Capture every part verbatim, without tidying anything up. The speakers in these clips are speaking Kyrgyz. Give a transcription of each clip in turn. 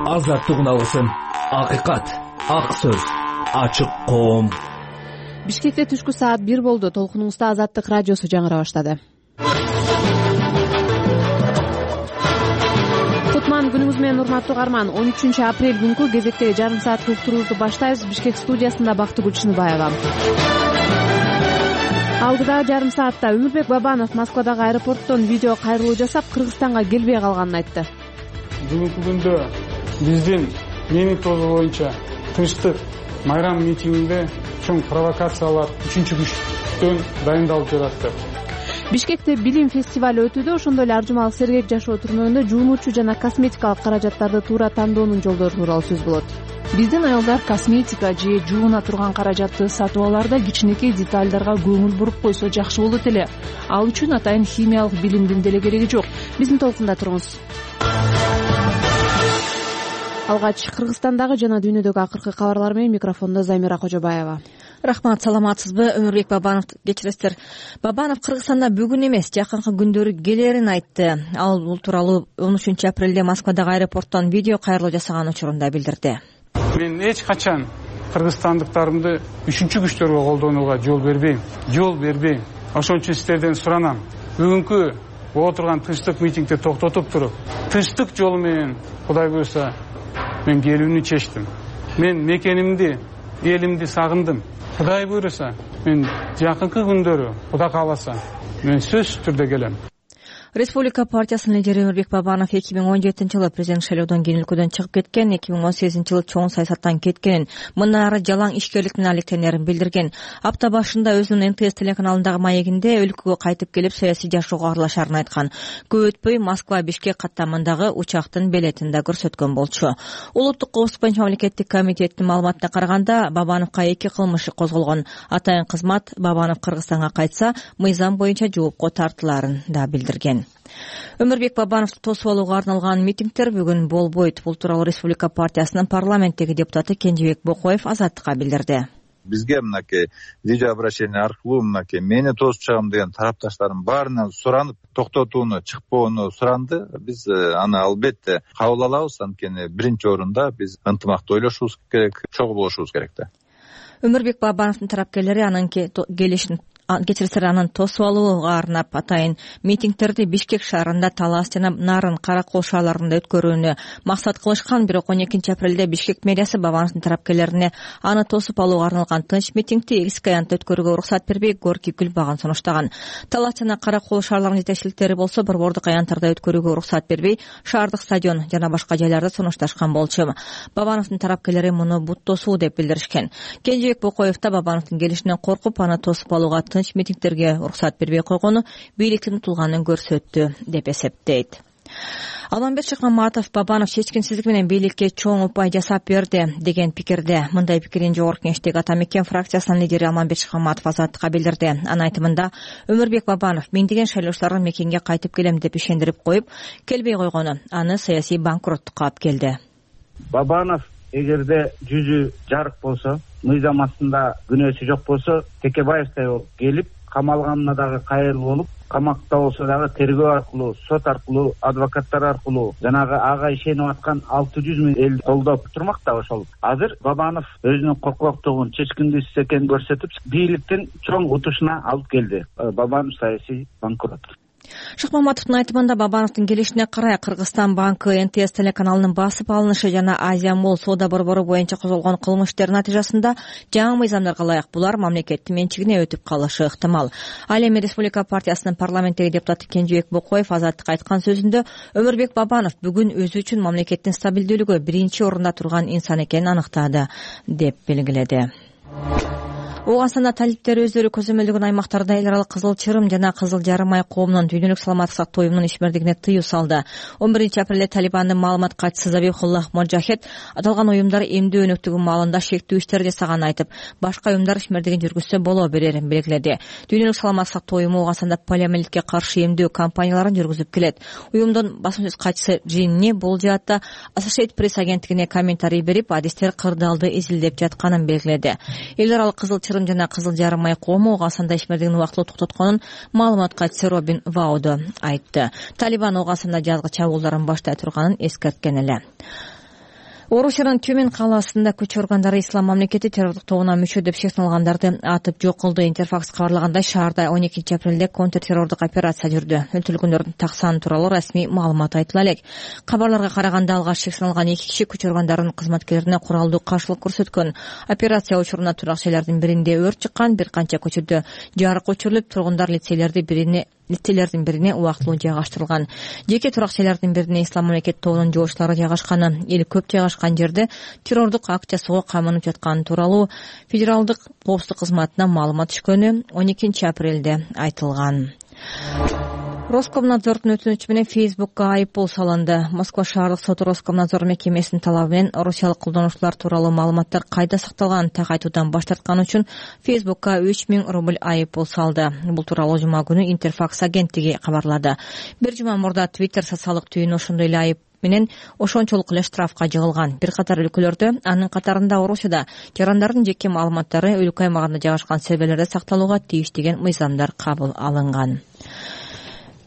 азаттыгын алсын. Акыйкат, ак сөз, ачык коом. Бишкекте түшкү саат бир болду. Толкунуңузда Азаттык радиосу жаңыра баштады. Кутман күнүңүз менен урматтуу угарман. он үчүнчү апрель күнкү кезектеги жарым сааттык уктуруубузду баштайбыз. Бишкек студиясында Бактыгүл Чыныбаева. Алдыдагы жарым саатта Өмүрбек Бабанов Москвадагы аэропорттон видео кайрылуу жасап, Кыргызстанга келбей калганын айтты. Бүгүнкү күндө биздин менин тобу боюнча тынчтык майрам митингинде чоң провокациялар үчүнчү күчтөн дайындалып жатат. Бишкекте билим фестивалы өтүүдө, ошондой эле Аржумалык сергек жашоо түрмөгүндө жуунуучу жана косметикалык каражаттарды туура тандоонун жолдору тууралуу сөз болот. Биздин аялдар косметика же жууна турган каражатты сатып алаарда кичинекей детальдарга көңүл буруп койсо жакшы болот эле. Ал үчүн атайын химиялык билимдин деле кереги жок. Биздин толкунда туруңуз. Алгач Кыргызстандагы жана дүйнөдөгү акыркы кабарлар менен микрофондо Замира Кожобаева. Рахмат, саламатсызбы? Өмүрбек Бабанов, кечиресиздер. Бабанов Кыргызстанда бүгүн эмес, жакынкы күндөрү келерин айтты. Ал бул тууралуу он үчүнчү апрелде Москвадагы аэропорттон видео кайрылуу жасаган учурунда билдирди. Мен эч качан кыргызстандыктарымды үчүнчү күчтөргө колдонууга жол бербейм. Жол бербейм. Ошон үчүн сиздерден суранам. Бүгүнкү отурган тынчтык митингди токтотуп туруп, тынчтык жолу менен Кудай буйрса мен келүүнү чечтим. Мен мекенимди, элимди сагындым. Кудай буйрса мен жакынкы күндөрү, Кудай кааласа, мен сөзсүз түрдө келем. Республика партиясынын лидери Өмүрбек Бабанов эки миң он жетинчи жылы президент шайлоодон кийин өлкөдөн чыгып кеткен, эки миң он сегизинчи жылы чоң саясаттан кеткенин, мындан ары жалаң ишкерлик менен алектенерин билдирген. Апта башында өзүнүн эн тэ эс телеканалындагы маегинде өлкөгө кайтып келип саясий жашоого аралашарын айткан. Көп өтпөй Москва Бишкек каттамындагы учактын билетин да көрсөткөн болчу. Улуттук коопсуздук боюнча мамлекеттик комитеттин маалыматына караганда, Бабановго эки кылмыш козголгон. Атайын кызмат Бабанов Кыргызстанга кайтса, мыйзам боюнча жоопко тартыларын да билдирген. Өмүрбек Бабановду тосуп алууга арналган митингдер бүгүн болбойт. Бул тууралуу Республика партиясынын парламенттеги депутаты Кенжебек Бокоев Азаттыкка билдирди. Бизге мынакей видео обращение аркылуу мынакей мени тосуп чыгам деген тарапташтардын баарынан суранып, токтотууну, чыкпоону суранды. Биз аны албетте кабыл алабыз. Анткени биринчи орунда биз ынтымактуу ойлошубуз керек, чогуу болушубуз керек да. Өмүрбек Бабановдун тарапкерлери анын келишин кечирсер анын тосуп алууга арнап атайын митингдерди Бишкек шаарында Талас жана Нарын, Каракол шаарларында өткөрүүнү максат кылышкан. Бирок он экинчи апрелде Бишкек мэриясы Бабановдун тарапкерлерине аны тосуп алууга арналган тынч митингди экс аянтта өткөрүүгө уруксат бербей, горький күл багын сунуштаган. Талас жана Каракол шаарларынын жетекчиликтери болсо борбордук аянттарда өткөрүүгө уруксат бербей, шаардык стадион жана башка жайларды сунушташкан болчу. Бабановдун тарапкерлери муну бут тосуу деп билдиришкен. Кенжебек Бокоев да Бабановдун келишинен коркуп, аны тосуп алууга тынч митингдерге уруксат бербей койгону бийликтин утулганын көрсөттү деп эсептейт. Алмамбет Шыкмаматов Бабанов чечкинсиздик менен бийликке чоң упай жасап берди деген пикирде. Мындай пикирин Жогорку Кеңештеги Ата Мекен фракциясынын лидери Алмамбет Шыкмаматов Азаттыкка билдирди. Анын айтымында Өмүрбек Бабанов миңдеген шайлоочулардын мекенге кайтып келем деп ишендирип коюп, келбей койгону аны саясий банкроттукка алып келди. Бабанов эгерде жүзү жарык болсо, мыйзам астында күнөөсү жок болсо, Текебаевтай болуп келип, камалганына дагы кайрыл болуп, камакта болсо дагы тергөө аркылуу, сот аркылуу, адвокаттар аркылуу жанагы ага ишенип аткан алты жүз миң эл колдоп турмак да ошол. Азыр Бабанов өзүнүн коркоктугун, чечкиндүүсүз экенин көрсөтүп, бийликтин чоң утушуна алып келди. Бабанов саясий банкрот. Шыкмаматовдун айтымында Бабановдун келишине карай Кыргызстан банкы, эн тэ эс телеканалынын басып алынышы жана Азия Молл соода борбору боюнча козголгон кылмыштар натыйжасында жаңы мыйзамдарга ылайык булар мамлекеттин менчигине өтүп калышы ыктымал. Ал эми Республика партиясынын парламенттеги депутаты Кенжебек Бокоев Азаттыкка айткан сөзүндө Өмүрбек Бабанов бүгүн өзү үчүн мамлекеттин стабилдүүлүгү биринчи орунда турган инсан экенин аныктады деп белгиледи. Ооганстанда талиптер өздөрү көзөмөлдөгөн аймактарда эл аралык кызыл чырым жана кызыл жарым ай коомунун дүйнөлүк саламаттык сактоо уюмунун ишмердигине тыюу салды. он биринчи апрелде Талибандын маалымат катчысы Забихуллах Моджахед аталган уюмдар эмдөө өнөктүгү маалында шектүү иштер жасаганын айтып, башка уюмдар ишмердигин жүргүзсө боло берерин белгиледи. Дүйнөлүк саламаттык сактоо уюму Ооганстанда полиомиелитке каршы эмдөө кампанияларын жүргүзүп келет. Уюмдун басма сөз катчысы Джинни бул жаатта Associated Press агенттигине комментарий берип, адистер кырдаалды изилдеп жатканын белгиледи. Эл аралык кызыл чырым жана кызыл жарым ай коому Ооганстанда ишмердигин убактылуу токтотконун маалымат катчысы Робин Ваудо айтты. Талибан Ооганстанда жазгы чабуулдарын баштай турганын эскерткен эле. Орусиянын Тюмень калаасында күч органдары ислам мамлекети террорлук тобуна мүчө деп шектелгандарды атып жок кылды. Интерфакс кабарлагандай, шаарда он экинчи апрелде контртеррордук операция жүрдү. Өлтүрүлгөндөрдүн так саны тууралуу расмий маалымат айтыла элек. Кабарларга караганда алгач шектелген эки киши күч органдарынын кызматкерлерине куралдуу каршылык көрсөткөн. Операция учуруна турак-жайлардын биринде өрт чыккан, бир канча көчөдө жарык өчүрүлүп, тургундар лицейлерди бирине лицейлердин бирине убактылуу жайгаштырылган. Жеке турак-жайлардын бирине ислам мамлекет тобунун жоочулары жайгашканы, эл көп жайгашкан жерде террордук акт жасоого камынып жатканы тууралуу Федералдык коопсуздук кызматына маалымат түшкөнү он экинчи апрелде айтылган. Роскомнадзордун өтүнүчү менен Фейсбукка айыппул салынды. Москва шаардык соты Роскомнадзор мекемесинин талабы менен россиялык колдонуучулар тууралуу маалыматтар кайда сакталганын так айтуудан баш тарткан үчүн Фейсбукка үч миң рубль айыппул салды. Бул тууралуу жума күнү Интерфакс агенттиги кабарлады. Бир жума мурда Twitter социалдык түйүнү ошондой эле айып менен ошончолук эле штрафка жыгылган. Бир катар өлкөлөрдө, анын катарында Орусияда жарандардын жеке маалыматтары өлкө аймагында жайгашкан серверлерде сакталууга тийиш деген мыйзамдар кабыл алынган.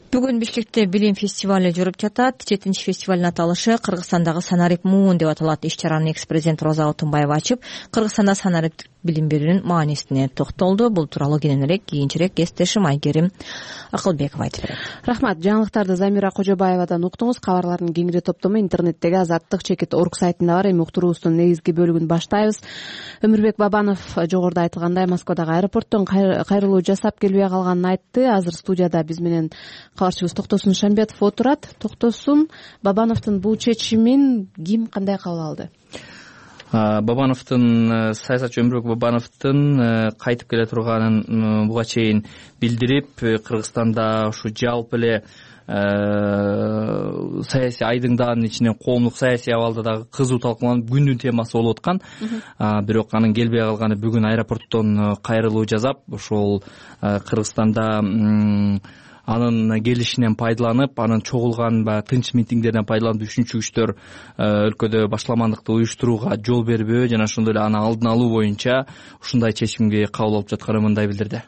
Бүгүн Бишкекте билим фестивалы жүрүп жатат. жетинчи фестивалдын аталышы Кыргызстандагы Санарип Муун деп аталат. Иш-чараны экс-президент Роза Отунбаева ачып, Кыргызстанда санариптик билим берүүнүн маанисине токтолду. Бул тууралуу кененирээк кийинчерээк кесиптешим Айгерим Акылбекова айтып берет. Рахмат. Жаңылыктарды Замира Кожобаевадан уктуңуз. Кабарлардын кеңири топтому интернеттеги азаттык чекит орг сайтында бар. Эми уктуруубуздун негизги бөлүгүн баштайбыз. Өмүрбек Бабанов жогоруда айтылгандай Москвадагы аэропорттон кайрылуу жасап келбей калганын айтты. Азыр студияда биз менен кабарчыбыз Токтосун Шамбетов отурат. Токтосун, Бабановдун бул чечимин ким кандай кабыл алды? Бабановдун саясатчы Өмүрбек Бабановдун кайтып келе турганын буга чейин билдирип, Кыргызстанда ушу жалпы эле саясий айдыңдын ичинен коомдук саясий абалда дагы кызуу талкууланып күндүн темасы болуп аткан. Бирок анын келбей калганы бүгүн аэропорттон кайрылуу жасап, ошол Кыргызстанда анын келишинен пайдаланып, анын чогулган баягы тынч митингдеринен пайдаланып үшүнчү күчтөр өлкөдө башламандыкты уюштурууга жол бербөө жана ошондой эле аны алдын алуу боюнча ушундай чечимге кабыл алып жатканын мындай билдирди.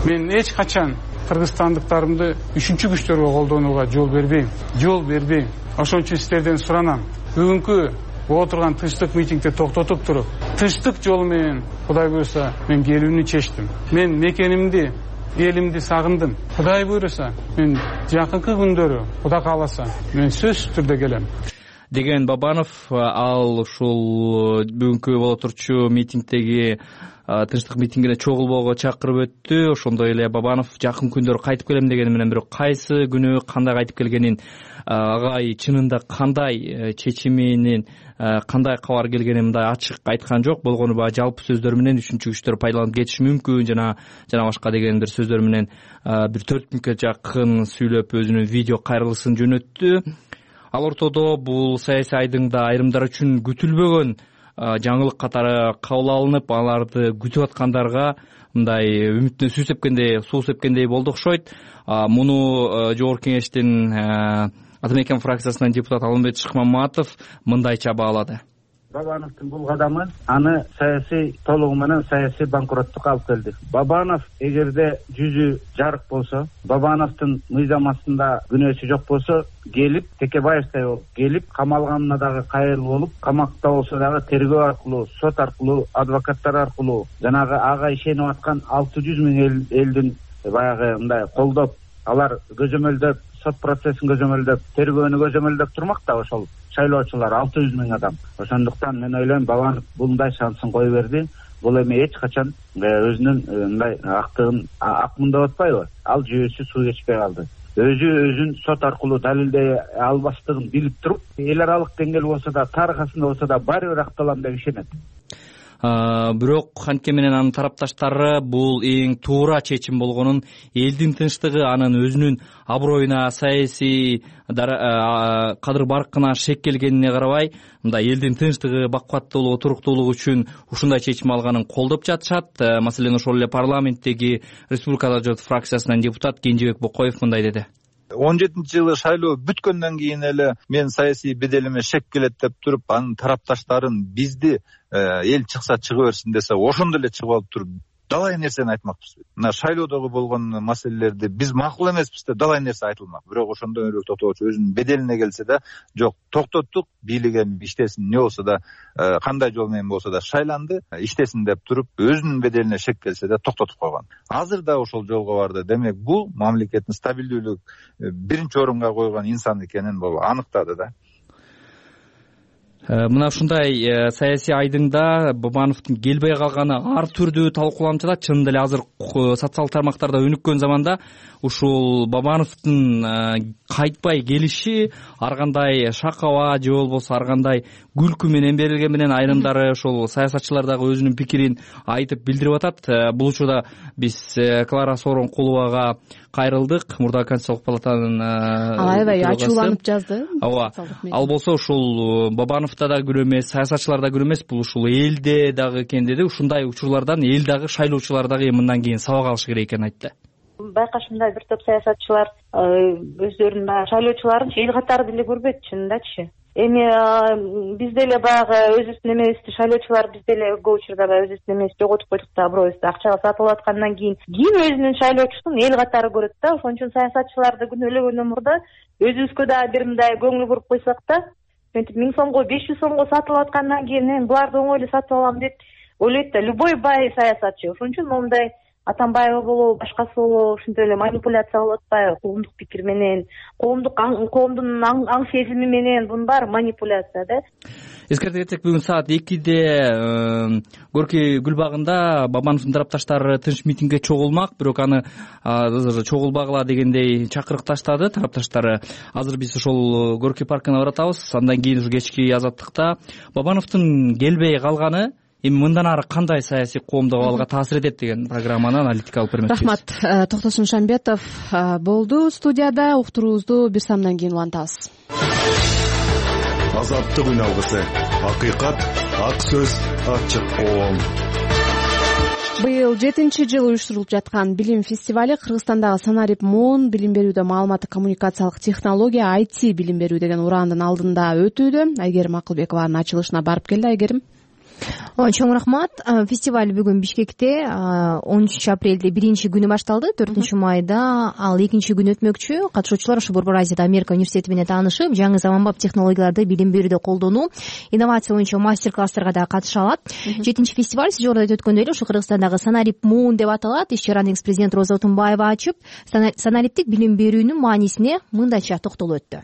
Мен эч качан кыргызстандыктарымды үшүнчү күчтөргө колдонууга жол бербейм. Жол бербейм. Ошон үчүн сиздерден суранам. Бүгүнкү отурган тынчтык митингди токтотуп туруп, тынчтык жолу менен Кудай буйруса мен келүүнү чечтим. Мен мекенимди, элимди сагындым. Кудай буйруса, мен жакынкы күндөрү, Кудай кааласа, мен сөзсүз түрдө келем деген Бабанов. Ал ушул бүгүнкү боло турчу митингдеги тынчтык митингине чогулбоого чакырып өттү. Ошондой эле Бабанов жакын күндөрү кайтып келем дегени менен, бирок кайсы күнү кандай кайтып келгенин, агай чынында кандай чечиминин кандай кабар келгенин мындай ачык айткан жок. Болгону баягы жалпы сөздөр менен үшүнчү күчтөр пайдаланып кетиши мүмкүн жана жана башка деген бир сөздөр менен бир төрт мүнөткө жакын сүйлөп өзүнүн видео кайрылышын жөнөттү. Ал ортодо бул саясий айдыңда айрымдар үчүн күтүлбөгөн жаңылык катары кабыл алынып, аларды күтүп аткандарга мындай үмүтүнө суу сепкендей, суу сепкендей болду окшойт. Муну Жогорку Кеңештин Ата мекен фракциясынан депутат Алмамбет Шыкмаматов мындайча баалады. Бабановдун бул кадамы аны саясий толугу менен саясий банкроттукка алып келди. Бабанов эгерде жүзү жарык болсо, Бабановдун мыйзам астында күнөөсү жок болсо, келип Текебаевтай болуп келип камалганына дагы кайрылуу болуп, камакта болсо дагы тергөө аркылуу, сот аркылуу, адвокаттар аркылуу жанагы ага ишенип аткан алты жүз миң элдин баягы мындай колдоп, алар көзөмөлдөп, сот процессин көзөмөлдөп, тергөөнү көзөмөлдөп турмак да ошол шайлоочулар алты жүз миң адам. Ошондуктан мен ойлойм Бабанов мындай шансын кое берди. Бул эми эч качан өзүнүн мындай актыгын акмын деп атпайбы? Ал жүйөсү суу кечпей калды. Өзү өзүн сот аркылуу далилдей албастыгын билип туруп, эл аралык деңгээл болсо да, тарыхасында болсо да баары бир акталам деп ишенет. Бирок Ханке менен анын тарапташтары бул эң туура чечим болгонун, элдин тынчтыгы, анын өзүнүн аброюна, саясий кадыр баркына шек келгенине карабай, мындай элдин тынчтыгы, бакубаттуулугу, туруктуулугу үчүн ушундай чечим алганын колдоп жатышат. Маселен, ошол эле парламенттеги Республикалык жогорку депутат депутат Кенжебек Бокоев мындай деди. он жетинчи жылы шайлоо бүткөндөн кийин эле мен саясий беделиме шек келет деп туруп, анын тарапташтарын бизди эл чыкса чыга берсин десе, ошондо эле чыгып алып туруп далай нерсени айтмакпыз. Мына шайлоодогу болгон маселелерди биз макул эмеспиз деп далай нерсе айтылмак. Бирок ошондон өрөөк токтогучу өзүнүн беделине келсе да, жок, токтоттук, бийлик эми иштесин, не болсо да, кандай жол менен болсо да шайланды, иштесин деп туруп, өзүнүн беделине шек келсе да токтотуп койгон. Азыр да ошол жолго барды. Демек, бул мамлекеттин стабилдүүлүк биринчи орунга койгон инсан экенин бул аныктады да. Мына ушундай саясий айдыңда Бабановдун келбей калганы ар түрдүү талкууланып жатат. Чынында эле азыр социалдык тармактарда өнүккөн заманда ушул Бабановдун кайтпай келиши ар кандай шакаба же болбосо ар кандай күлкү менен берилген менен айрымдары ошол саясатчылар дагы өзүнүн пикирин айтып билдирип атат. Бул учурда биз Клара Сооронкуловага кайрылдык. Мурдагы Конституциялык палатанын ал аябай ачууланып жазды. Ооба. Ал болсо ушул Бабановда да күнөө эмес, саясатчылар да күнөө эмес, бул ушул элде дагы экен деди. Ушундай учурлардан эл дагы, шайлоочулар дагы мындан кийин сабак алышы керек экенин айтты. Байкашымда бир топ саясатчылар өздөрүнүн баягы шайлоочуларын эл катары деле көрбөйт, чынындачы. Эми биз деле баягы өзүбүздүн эмебизди, шайлоочулар биз деле көп учурда баягы өзүбүздүн эмебизди жоготуп койдук да, бирөөбүздү акчага сатып алып аткандан кийин ким өзүнүн шайлоочусун эл катары көрөт да. Ошон үчүн саясатчыларды күнөөлөгөндөн мурда өзүбүзгө дагы бир мындай көңүл буруп койсок да, антип миң сомго, беш жүз сомго сатып алып аткандан кийин мен буларды оңой эле сатып алам деп ойлойт да любой бай саясатчы. Ошон үчүн момундай Атамбаева болобу, башкасы болобу ушинтип эле манипуляция кылып атпайбы, коомдук пикир менен, коомдук коомдун аң сезими менен, бунун баары манипуляция да. Эскерте кетсек, бүгүн саат экиде Горький гүлбагында Бабановдун тарапташтары тынч митингге чогулмак, бирок аны чогулбагыла дегендей чакырык таштады тарапташтары. Азыр биз ошол Горький паркына баратабыз. Андан кийин ушу кечки азаттыкта Бабановдун келбей калганы эми мындан ары кандай саясий коомдук абалга таасир этет деген программаны аналитика алып бермекчибиз. Рахмат. Токтосун Шамбетов болду студияда. Уктуруубузду бир самдан кийин улантабыз. Азаттык үн алгысы, акыйкат, ак сөз, ачык коом. Быйыл жетинчи жыл уюштурулуп жаткан билим фестивали Кыргызстандагы Санарип Муун билим берүүдө маалыматтык коммуникациялык технология ай ти билим берүү деген урандын алдында өтүүдө. Айгерим Акылбекованын ачылышына барып келди. Айгерим. Чоң рахмат. Фестиваль бүгүн Бишкекте он үчүнчү апрелде биринчи күнү башталды, төртүнчү майда ал экинчи күн өтмөкчү. Катышуучулар ушу Борбор Азияда Америка университети менен таанышып, жаңы заманбап технологияларды билим берүүдө колдонуу, инновация боюнча мастер-класстарга да катыша алат. Жетинчи фестиваль сиз жогоруда айтып өткөндөй эле ушу Кыргызстандагы Санарип Муун деп аталат. Иш-чараны экс-президент Роза Отунбаева ачып, санариптик билим берүүнүн маанисине мындайча токтолуп өттү.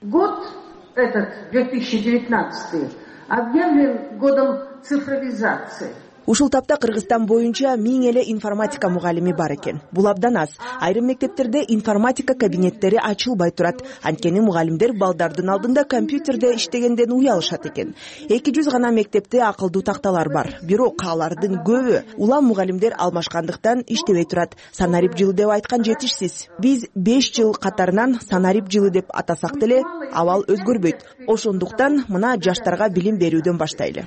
Год этот две тысячи девятнадцатый объявлен годом цифровизации. Ушул тапта Кыргызстан боюнча миң эле информатика мугалими бар экен. Бул абдан аз. Айрым мектептерде информатика кабинеттери ачылбай турат. Анткени мугалимдер балдардын алдында компьютерде иштегенден уялышат экен. эки жүз гана мектепте акылдуу такталар бар. Бирок алардын көбү улам мугалимдер алмашкандыктан иштебей турат. Санарип жылы деп айткан жетишсиз. Биз беш жыл катарынан Санарип жылы деп атасак деле абал өзгөрбөйт. Ошондуктан мына жаштарга билим берүүдөн баштайлы.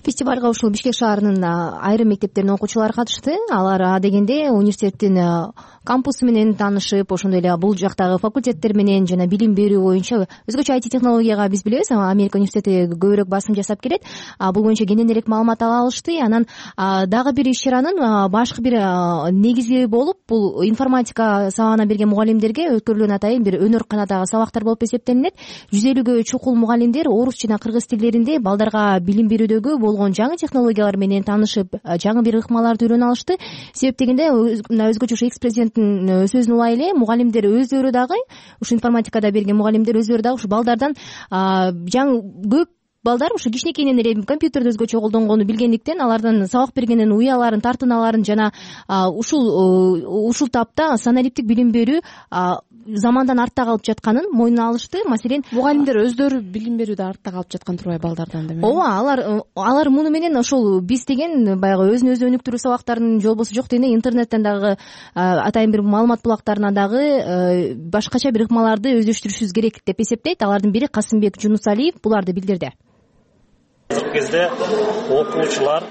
Фестивалга ушул Бишкек шаарынын айрым мектептеринин окуучулары катышты. Алар дегенде университеттин кампусу менен таанышып, ошондой эле бул жактагы факультеттер менен жана билим берүү боюнча өзгөчө ай ти технологияга биз билебиз, Америка университети көбүрөөк басым жасап келет. Бул боюнча кененирээк маалымат ала алышты. Анан дагы бир иш-чаранын башкы бир негизи болуп, бул информатика сабагына берген мугалимдерге өткөрүлгөн атайын бир өнөр-канатагы сабактар болуп эсептелинет. жүз элүүгө чукул мугалимдер орус жана кыргыз тилдеринде балдарга билим берүүдөгү болгон жаңы технологиялар менен таанышып, жаңы бир ыкмаларды үйрөнө алышты. Себеп дегенде өзгөчө ушу экс-президенттин сөзүн улай эле мугалимдер өздөрү дагы, ушу информатикада берген мугалимдер өздөрү дагы ушу балдардан жаңы көп балдар ушу кичинекейинен эле компьютерди өзгөчө колдонгону билгендиктен алардан сабак бергенден уяларын, тартыналарын жана ушул ушул тапта санариптик билим берүү замандан артта калып жатканын мойнуна алышты. Маселен, мугалимдер өздөрү билим берүүдө артта калып жаткан турбайбы балдардан демек? Ооба, алар алар муну менен ошол биз деген баягы өзүн өзү өнүктүрүү сабактарын же болбосо жок дегенде интернеттен дагы атайын бир маалымат булактарына дагы башкача бир ыкмаларды өздөштүрүшүбүз керек деп эсептейт. Алардын бири Касымбек Жунусалиев буларды билдирди. Азыркы кезде окуучулар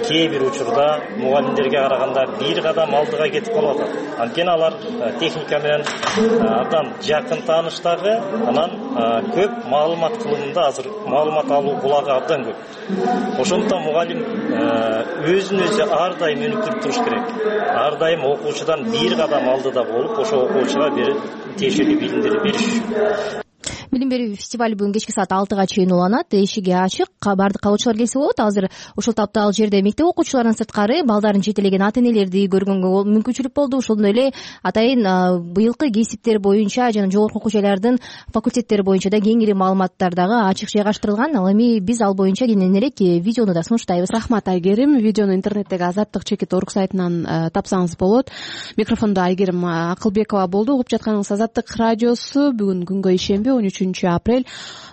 кээ бир учурда мугалимдерге караганда бир кадам алдыга кетип калып атат. Анткени алар техника менен абдан жакын тааныш дагы, анан көп маалымат кылымында азыр маалымат алуу булагы абдан көп. Ошондуктан мугалим өзүн өзү ар дайым өнүктүрүп туруш керек. Ар дайым окуучудан бир кадам алдыда болуп, ошо окуучуга тиешелүү билимдерди бериш. Билим берүү фестивали бүгүн кечки саат алтыга чейин уланат. Эшиги ачык, баардык калуучулар келсе болот. Азыр ушул таптал жерде мектеп окуучуларынан сырткары балдарын жетелеген ата-энелерди көргөнгө мүмкүнчүлүк болду. Ошондой эле атайын быйылкы кесиптер боюнча жана жогорку окуу жайлардын факультеттери боюнча да кеңири маалыматтар дагы ачык жайгаштырылган. Ал эми биз ал боюнча кенен элек видеону да сунуштайбыз. Рахмат, Айгерим. Видеону интернеттеги Азаттык чекит орг сайтынан тапсаңыз болот. Микрофондо Айгерим Акылбекова болду. Угуп жатканыңыз Азаттык радиосу. Бүгүн күнгө ишенбе, он үчүнчү апрель.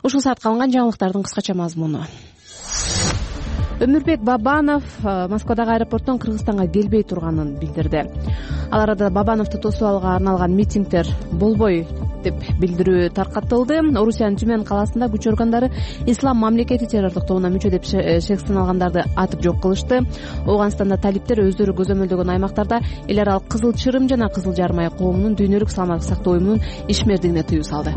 Ушул саатка алынган жаңылыктардын кыскача мазмуну. Өмүрбек Бабанов Москвадагы аэропорттон Кыргызстанга келбей турганын билдирди. Ал арада Бабановду тосуп алууга арналган митингдер болбой деп билдирүү таркатылды. Орусиянын Түмөн калаасында күч органдары Ислам мамлекети террорлук тобуна мүчө деп шекстен алгандарды атып жок кылышты. Ооганстанда талиптер өздөрү көзөмөлдөгөн аймактарда эл аралык Кызыл Чырым жана Кызыл Жармай коомунун дүйнөлүк саламаттык сактоо уюмунун ишмердигине тыюу салды.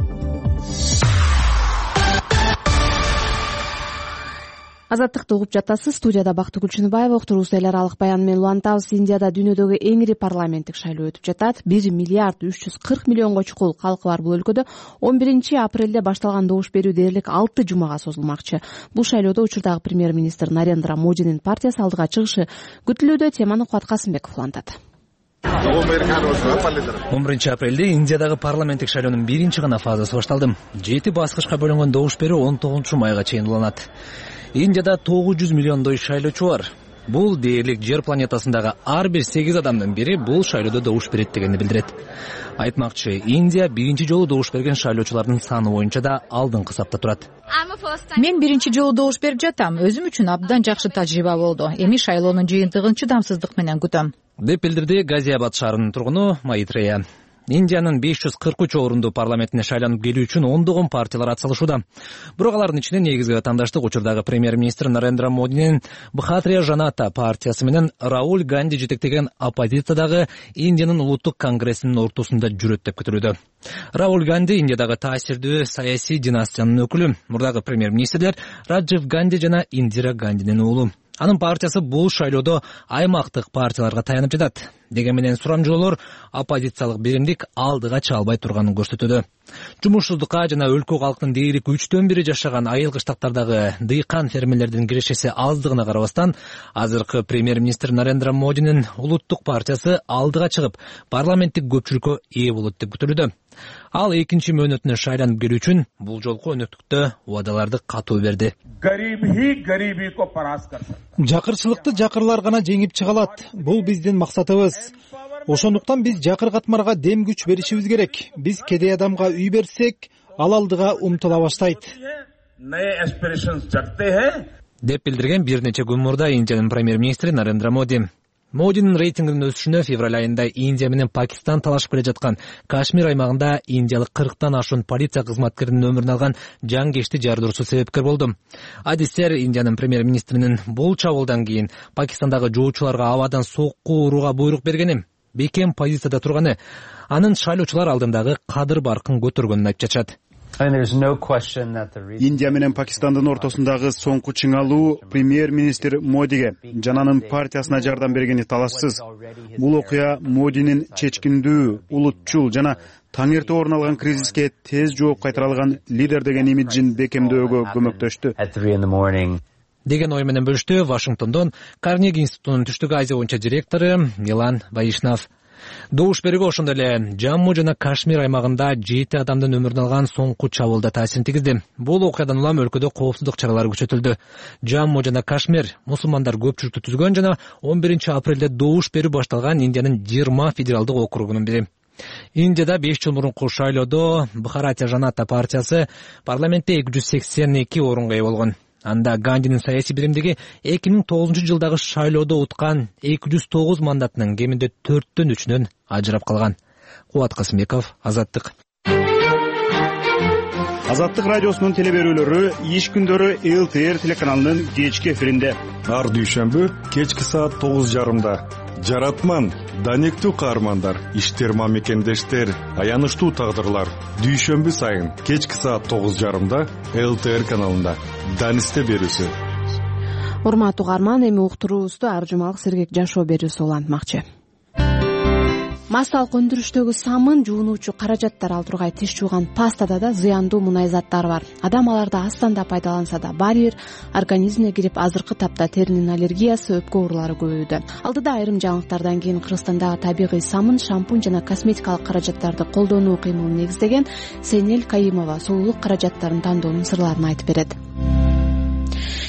Азаттыкты угуп жатасыз. Студияда Бактыгүл Чыныбаева. Уктуруубузду эл аралык баян менен улантабыз. Индияда дүйнөдөгү эң ири парламенттик шайлоо өтүп жатат. бир миллиард үч жүз кырк миллионго чукул калкы бар бул өлкөдө он биринчи апрелде башталган добуш берүү дээрлик алты жумага созулмакчы. Бул шайлоодо учурдагы премьер-министр Нарендра Модинин партиясы алдыга чыгышы күтүлүүдө. Теманы Кубат Касымбеков улантат. он биринчи апрелде Индиядагы парламенттик шайлоонун биринчи гана фазасы башталды. жети баскычка бөлүнгөн добуш берүү он тогузунчу майга чейин уланат. Индияда тогуз жүз миллиондой шайлоочу бар. Бул дээрлик жер планетасындагы ар бир сегиз адамдын бири бул шайлоодо добуш берет дегенди билдирет. Айтмакчы, Индия биринчи жолу добуш берген шайлоочулардын саны боюнча да алдыңкы сапта турат. Мен биринчи жолу добуш берип жатам. Өзүм үчүн абдан жакшы тажрыйба болду. Эми шайлоонун жыйынтыгын чыдамсыздык менен күтөм, деп билдирди Газиабад шаарынын тургуну Маитрея. Индиянын беш жүз кырк үч орундуу парламентине шайланып келүү үчүн ондогон партиялар атсалышууда. Бирок алардын ичинен негизги ватандаштык учурдагы премьер-министр Нарендра Модинин Бхатрия Жаната партиясы менен Рауль Ганди жетектеген оппозициядагы Индиянын улуттук конгрессинин ортосунда жүрөт деп күтүлүүдө. Рауль Ганди Индиядагы таасирдүү саясий династиянын өкүлү. Мурдагы премьер-министрлер Раджив Ганди жана Индира Гандинин уулу. Анын партиясы бул шайлоодо аймактык партияларга таянып жатат. Деген менен сурамжылоолор оппозициялык биримдик алдыга чыга албай турганын көрсөтүүдө. Жумушсуздукка жана өлкө калктын дээрлик үчтөн бири жашаган айыл кыштактардагы дыйкан фермерлердин кирешеси аздыгына карабастан, азыркы премьер-министр Нарендра Модинин улуттук партиясы алдыга чыгып, парламенттик көпчүлүккө ээ болот деп күтүлүүдө. Ал экинчи мөөнөтүнө шайланып келүү үчүн бул жолку өнөктүктө убадаларды катуу берди. Жакырчылыкты жакырлар гана жеңип чыга алат. Бул биздин максатыбыз. Ошондуктан биз жакыр катмарга дем күч беришибиз керек. Биз кедей адамга үй берсек, ал алдыга умтула баштайт, деп билдирген бир нече күн мурда Индиянын премьер-министри Нарендра Моди. Модинин рейтингинин өсүшүнө февраль айында Индия менен Пакистан талашып келе жаткан Кашмир аймагында индиялык кырктан ашуун полиция кызматкеринин өмүрүн алган жангечти жардыруусу себепкер болду. Адистер Индиянын премьер-министринин бул чабуулдан кийин Пакистандагы жоочуларга абадан сокку урууга буйрук бергени, бекем позицияда турганы, анын шайлоочулар алдындагы кадыр баркын көтөргөнүн айтып чачат. Индия менен Пакистандын ортосундагы соңку чыңалуу премьер-министр Модиге жана анын партиясына жардам бергени талашсыз. Бул окуя Модинин чечкиндүү, улутчул жана таңерте орун алган кризиске тез жооп кайтара алган лидер деген имиджин бекемдөөгө көмөктөштү, деген ой менен бөлүштү Вашингтондон Карнеги институтунун Түштүк Азия боюнча директору Милан Вайшнав. Добуш берүүгө ошондой эле Жамму жана Кашмир аймагында жети адамдын өмүрүн алган соңку чабуулда таасирин тийгизди. Бул окуядан улам өлкөдө коопсуздук чаралары күчөтүлдү. Жамму жана Кашмир мусулмандар көпчүлүктү түзгөн жана он биринчи апрелде добуш берүү башталган Индиянын жыйырма федералдык округунун бири. Индияда беш жыл мурунку шайлоодо Бхаратия Жаната партиясы парламентте эки жүз сексен эки орунга ээ болгон. Анда Гандинин саясий биримдиги эки миң тогузунчу жылдагы шайлоодо уткан эки жүз тогуз мандатынын кеминде төрттөн үчүнөн ажырап калган. Кубат Касымбеков, Азаттык. Азаттык радиосунун теле берүүлөрү иш күндөрү эл ти эр телеканалынын кечки эфиринде. Ар дүйшөмбү кечки саат тогуз жарымда. Жаратман, данектүү каармандар, иштер мамекендештер, аянычтуу тагдырлар. Дүйшөмбү сайын кечки саат тогуз жарымда эл ти эр каналында. Данисте берүүсү. Урматтуу угарман, эми уктуруубузду ар жумалык сергек жашоо берүүсү улантмакчы. Массалык өндүрүштөгү самын, жуунуучу каражаттар ал тургай тиш жууган пастада да зыяндуу мунай заттар бар. Адам аларды астан да пайдаланса да баары бир организмине кирип, азыркы тапта теринин аллергиясы, өпкө оорулары көбөйүүдө. Алдыда айрым жаңылыктардан кийин Кыргызстандагы табигый самын, шампунь жана косметикалык каражаттарды колдонуу кыймылын негиздеген Сейнел Кайымова сулуулук каражаттарын тандоонун сырларын айтып берет.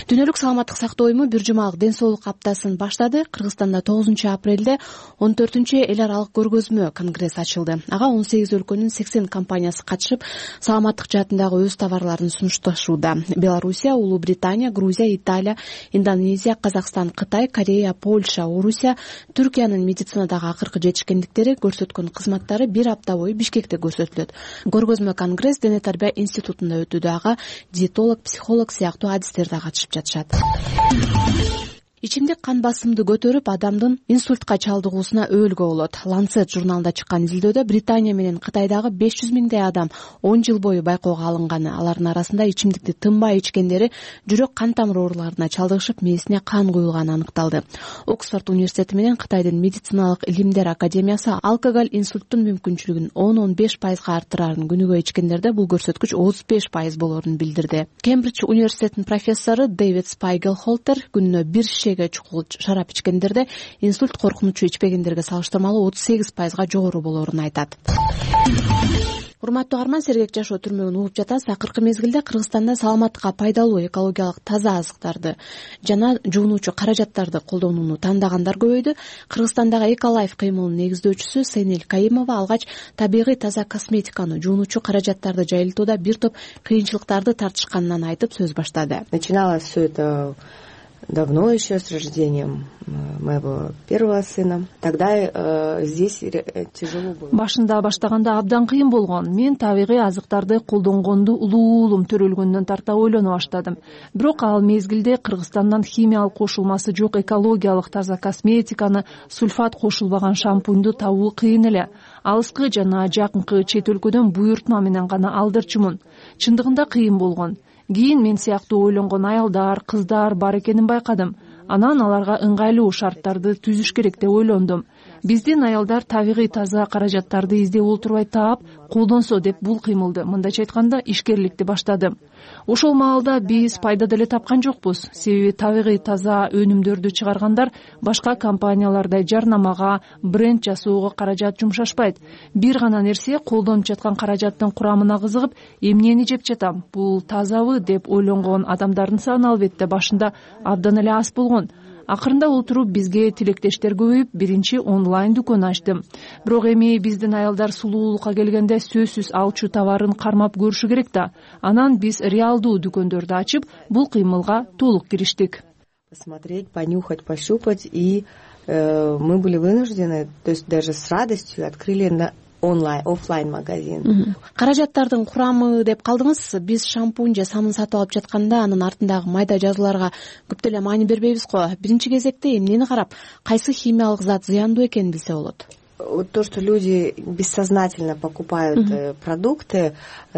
Дүйнөлүк саламаттык сактоо уюму бир жумалык ден соолук аптасын баштады. Кыргызстанда тогузунчу апрелде он төртүнчү эл аралык көргөзмө конгресс ачылды. Ага он сегиз өлкөнүн сексен компаниясы катышып, саламаттык жаатындагы өз товарларын сунушташууда. Белоруссия, Улуу Британия, Грузия, Италия, Индонезия, Казакстан, Кытай, Корея, Польша, Орусия, Түркиянын медицинадагы акыркы жетишкендиктери, көрсөткөн кызматтары бир апта бою Бишкекте көрсөтүлөт. Көргөзмө конгресс Дене тарбия институтунда өтүүдө. Ага диетолог, психолог сыяктуу адистер да катышып жатышат. Ичимдик кан басымды көтөрүп, адамдын инсультка чалдыгуусуна өөлгө болот. Lancet журналында чыккан изилдөөдө Британия менен Кытайдагы беш жүз миңдей адам он жыл бою байкоого алынганы. Алардын арасында ичимдикти тынбай ичкендери жүрөк кан тамыр ооруларына чалдыгышып, мээсине кан куюлганы аныкталды. Оксфорд университети менен Кытайдын медициналык илимдер академиясы алкоголь инсульттун мүмкүнчүлүгүн он он беш пайызга арттырарын, күнүгө ичкендерде бул көрсөткүч отуз беш пайыз болорун билдирди. Кембридж университетинин профессору Дэвид Спайгел-Холтер күнүнө бир чукул шарап ичкендерде инсульт коркунучу ичпегендерге салыштырмалуу отуз сегиз пайызга жогору болоорун айтат. Урматтуу угарман, сергек жашоо түрмөгүн угуп жатасыз. Акыркы мезгилде Кыргызстанда саламаттыкка пайдалуу экологиялык таза азыктарды жана жуунуучу каражаттарды колдонууну тандагандар көбөйдү. Кыргызстандагы Эколайф кыймылынын негиздөөчүсү Сейнел Кайымова алгач табигый таза косметиканы, жуунуучу каражаттарды жайылтууда бир топ кыйынчылыктарды тартышканынан айтып сөз баштады. Начиналось все это давно, еще с рождением моего первого сына. Тогда э, здесь тяжело было. Башында баштаганда абдан кыйын болгон. Мен табигый азыктарды колдонгонду улуулум төрөлгөндөн тарта ойлоно баштадым. Бирок ал мезгилде Кыргызстандан химиялык кошулмасы жок экологиялык таза косметиканы, сульфат кошулбаган шампуньду табуу кыйын эле. Алыскы жана жакынкы чет өлкөдөн буйртма менен гана алдырчумун. Чындыгында кыйын болгон. Кийин мен сыяктуу ойлонгон аялдар, кыздар бар экенин байкадым. Анан аларга ыңгайлуу шарттарды түзүш керек деп ойлондум. Биздин аялдар табигый таза каражаттарды издеп олтурбай таап, колдонсо деп бул кыймылды, мындайча айтканда, ишкерликти баштадым. Ошол маалда биз пайда деле тапкан жокпуз. Себеби табигый таза өнүмдөрдү чыгаргандар башка компаниялардай жарнамага, бренд жасоого каражат жумшашпайт. Бир гана нерсе, колдонуп жаткан каражаттын курамына кызыгып, эмнени жеп жатам, бул тазабы деп ойлонгон адамдардын саны албетте башында абдан эле аз болгон. Акырында отуруп бизге тилектештер көбөйүп, биринчи онлайн дүкөн ачтым. Бирок эми биздин аялдар сулуулукка келгенде сөзсүз алчу товарын кармап көрүшү керек да. Анан биз реалдуу дүкөндөрдү ачып, бул кыймылга толук кириштик. Посмотреть, понюхать, пощупать, и э, мы были вынуждены, то есть даже с радостью открыли на онлайн, офлайн магазин. Каражаттардын курамы деп калдыңыз. Биз шампунь же самын сатып алып жатканда анын артындагы майда жазууларга көп деле маани бербейбиз го. Биринчи кезекте эмнени карап, кайсы химиялык зат зыяндуу экенин билсе болот. Вот то, что люди бессознательно покупают uh-huh. продукты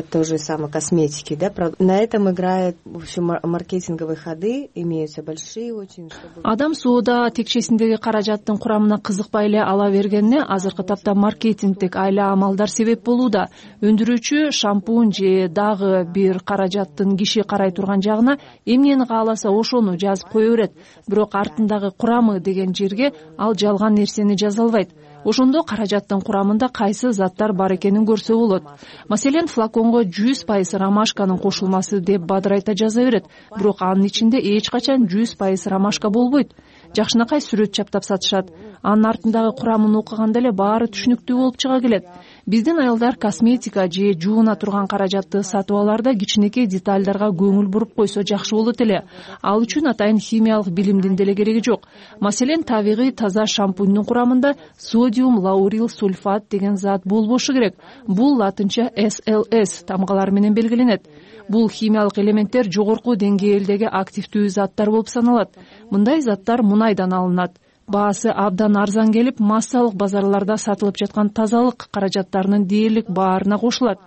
той же самой косметики, да, на этом играют, в общем, маркетинговые ходы, имеются большие очень. Чтобы... Адам соода текчесиндеги каражаттын курамына кызыкпай эле ала бергенине азыркы тапта маркетингдик айла амалдар себеп болууда. Өндүрүүчү шампунь же дагы бир каражаттын киши карай турган жагына эмнени кааласа ошону жазып кое берет. Бирок артындагы курамы деген жерге ал жалган нерсени жаза албайт. Ошондо каражаттын курамында кайсы заттар бар экенин көрсө болот. Маселен, флаконго жүз пайыз ромашканын кошулмасы деп бадырайта жаза берет, бирок анын ичинде эч качан жүз пайыз ромашка болбойт. Жакшынакай сүрөт чаптап сатышат. Анын артындагы курамын окуганда эле баары түшүнүктүү болуп чыга келет. биздин аялдар косметика же жууна турган каражатты сатып алаарда кичинекей детальдарга көңүл буруп койсо жакшы болот эле. Ал үчүн атайын химиялык билимдин деле кереги жок. Маселен, табигый таза шампуньдун курамында содиум лаурил сульфат деген зат болбошу керек. Бул латынча эс эл эс тамгалары менен белгиленет. Бул химиялык элементтер жогорку деңгээлдеги активдүү заттар болуп саналат. Мындай заттар мунайдан алынат. Баасы абдан арзан келип, массалык базарларда сатылып жаткан тазалык каражаттарынын дээрлик баарына кошулат.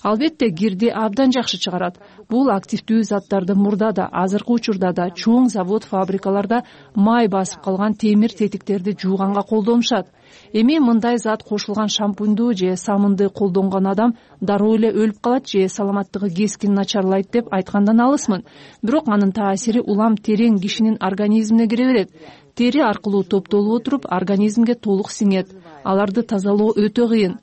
Албетте, кирди абдан жакшы чыгарат. Бул активдүү заттарды мурда да, азыркы учурда да чоң завод, фабрикаларда май басып калган темир тетиктерди жууганга колдонушат. Эми мындай зат кошулган шампуньду же самынды колдонгон адам дароо эле өлүп калат же саламаттыгы кескин начарлайт деп айткандан алысмын. Бирок анын таасири улам терең кишинин организмине кире берет. Тери аркылуу топтолуп отуруп, организмге толук сиңет. Аларды тазалоо өтө кыйын.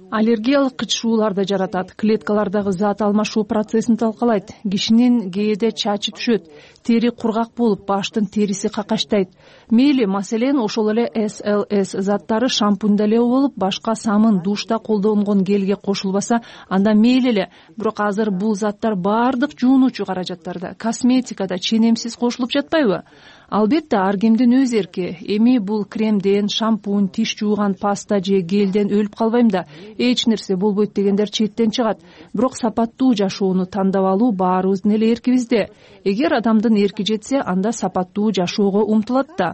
Аллергиялык кычышууларды жаратат, клеткалардагы зат алмашуу процессин талкалайт, кишинин кээде чачы түшөт, тери кургак болуп, баштын териси какачтайт. Мейли, маселен, ошол эле эс эл эс заттары шампуньда эле болуп, башка самын, душта колдонгон гелге кошулбаса, анда мейли эле. Бирок азыр бул заттар баардык жуунуучу каражаттарда, косметикада ченемсиз кошулуп жатпайбы? Албетте, ар кимдин өз эрки. Эми бул кремден, шампунь, тиш жууган паста же гелден өлүп калбайм да, эч нерсе болбойт дегендер четтен чыгат. Бирок сапаттуу жашоону тандап алуу баарыбыздын эле эркибизде. Эгер адамдын эрки жетсе, анда сапаттуу жашоого умтулат да.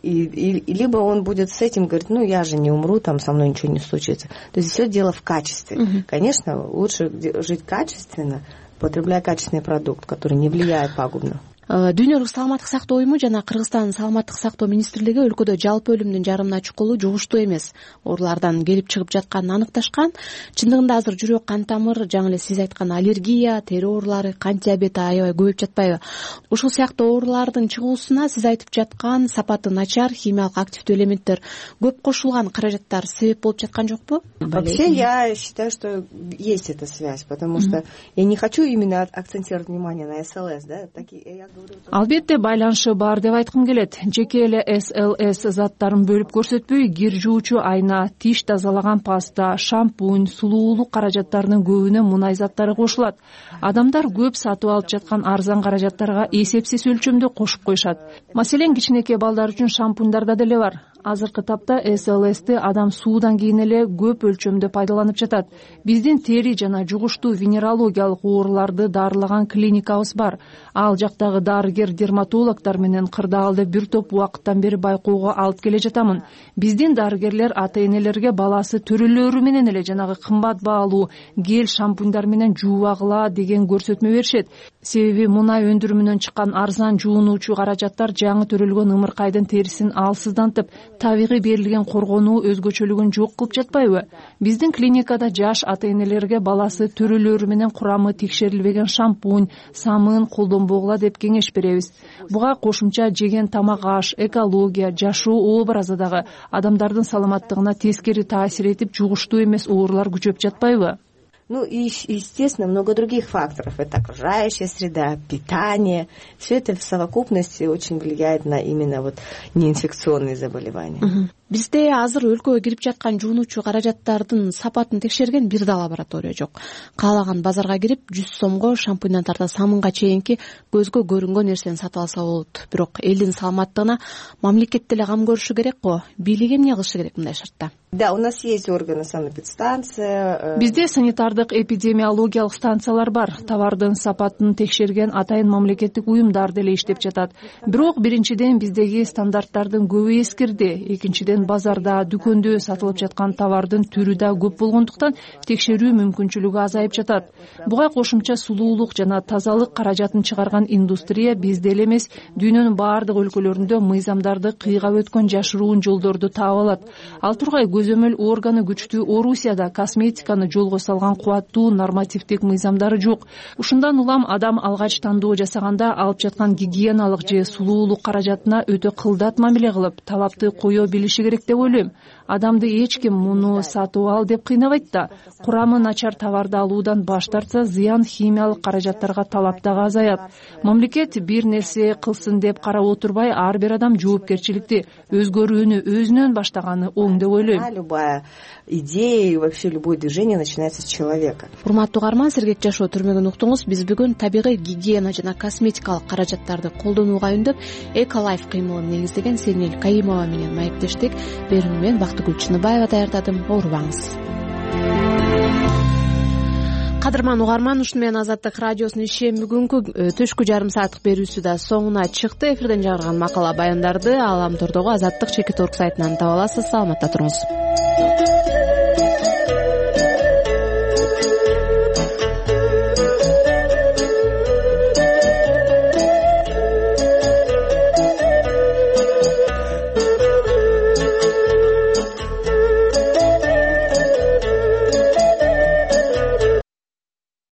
И, и, либо он будет с этим говорить, ну я же не умру, там со мной ничего не случится. То есть все дело в качестве. Mm-hmm. Конечно, лучше жить качественно, потребляя качественный продукт, который не влияет пагубно. Дүйнөлүк саламаттык сактоо уюму жана Кыргызстан саламаттык сактоо министрлиги өлкөдө жалпы өлүмдүн жарымына чукулу жугуштуу эмес оорулардан келип чыгып жатканын аныкташкан. Чындыгында азыр жүрөк кан тамыр, жаңы эле сиз айткан аллергия, тери оорулары, кант диабети аябай көбөйүп жатпайбы? Ушул сыяктуу оорулардын чыгуусуна сиз айтып жаткан сапаты начар, химиялык активдүү элементтер көп кошулган каражаттар себеп болуп жаткан жокпу? Вообще я считаю, что есть эта связь, потому что я не хочу именно акцентировать внимание на эс эл эс, да, такие. Албетте, байланышы бар деп айткым келет. Жеке эле эс эл эс заттарын бөлүп көрсөтпөй, кир жуучу айна, тиш тазалаган паста, шампунь, сулуулук каражаттарынын көбүнө мунай заттары кошулат. Адамдар көп сатып алып жаткан арзан каражаттарга эсепсиз өлчөмдө кошуп коюшат. Маселен, кичинекей балдар үчүн шампуньдарда деле бар. Азыркы тапта эс эл эсти адам суудан кийин эле көп өлчөмдө пайдаланып жатат. Биздин тери жана жугуштуу венерологиялык ооруларды дарылаган клиникабыз бар. Ал жактагы дарыгер дерматологдор менен кырдаалды бир топ убакыттан бери байкоого алып келе жатамын. Биздин дарыгерлер ата-энелерге баласы төрөлөрү менен эле жанагы кымбат баалуу гель шампуньдар менен жуубагыла деген көрсөтмө беришет. Себеби мунай өндүрүмүнөн чыккан арзан жуунуучу каражаттар жаңы төрөлгөн ымыркайдын терисин алсыздантып, табигый берилген коргонуу өзгөчөлүгүн жок кылып жатпайбы? Биздин клиникада жаш ата-энелерге баласы төрөлөрү менен курамы текшерилбеген шампунь, самын колдонбогула деп кеңеш беребиз. Буга кошумча жеген тамак аш, экология, жашоо образы дагы адамдардын саламаттыгына тескери таасир этип, жугуштуу эмес оорулар күчөп жатпайбы? Ну и, естественно, много других факторов. Это окружающая среда, питание. Все это в совокупности очень влияет на именно вот неинфекционные заболевания. Uh-huh. Бизде азыр өлкөгө кирип жаткан жуунуучу каражаттардын сапатын текшерген бир да лаборатория жок. Каалаган базарга кирип жүз сомго шампуньдан тарта самынга чейинки көзгө көрүнгөн нерсени сатып алса болот. Бирок элдин саламаттыгына мамлекет деле кам көрүшү керек го. Бийлик эмне кылышы керек мындай шартта? Да, у нас есть органы санэпидстанция. Бизде санитардык эпидемиологиялык станциялар бар. Товардын сапатын текшерген атайын мамлекеттик уюмдар деле иштеп жатат. Бирок биринчиден биздеги стандарттардын көбү эскирди. Экинчиден базарда, дүкөндө сатылып жаткан товардын түрү да көп болгондуктан текшерүү мүмкүнчүлүгү азайып жатат. Буга кошумча сулуулук жана тазалык каражатын чыгарган индустрия бизде эле эмес, дүйнөнүн баардык өлкөлөрүндө мыйзамдарды кыйгап өткөн жашыруун жолдорду таап алат. Ал тургай көзөмөл органы күчтүү Орусияда косметиканы жолго салган кубаттуу нормативдик мыйзамдары жок. Ушундан улам адам алгач тандоо жасаганда алып жаткан гигиеналык же сулуулук каражатына өтө кылдат мамиле кылып, талапты кое билиши керек деп ойлойм. Адамды эч ким муну сатып ал деп кыйнабайт да. Курамы начар товарды алуудан баш тартса, зыян химиялык каражаттарга талап дагы азаят. Мамлекет бир нерсе кылсын деп карап отурбай, ар бир адам жоопкерчиликти өзгөрүүнү өзүнөн баштаганы оң деп ойлойм. Любая идея и вообще любое движение начинается с человека. Урматтуу угарман, сергек жашоо түрмөгүн уктуңуз. Биз бүгүн табигый гигиена жана косметикалык каражаттарды колдонууга үндөп, Эколайф кыймылын негиздеген Сенел Кайымова менен маектештик. Берүүнү мен Бактыгүл Чыныбаева даярдадым. Оорубаңыз. Кадырман угарман, ушуну менен Азаттык радиосунун ишем бүгүнкү түшкү жарым сааттык берүүсү да соңуна чыкты. Эфирден жарган макала баяндарды Ааламтордогу Азаттык чекит орг сайтынан таба аласыз. Саламатта туруңуз.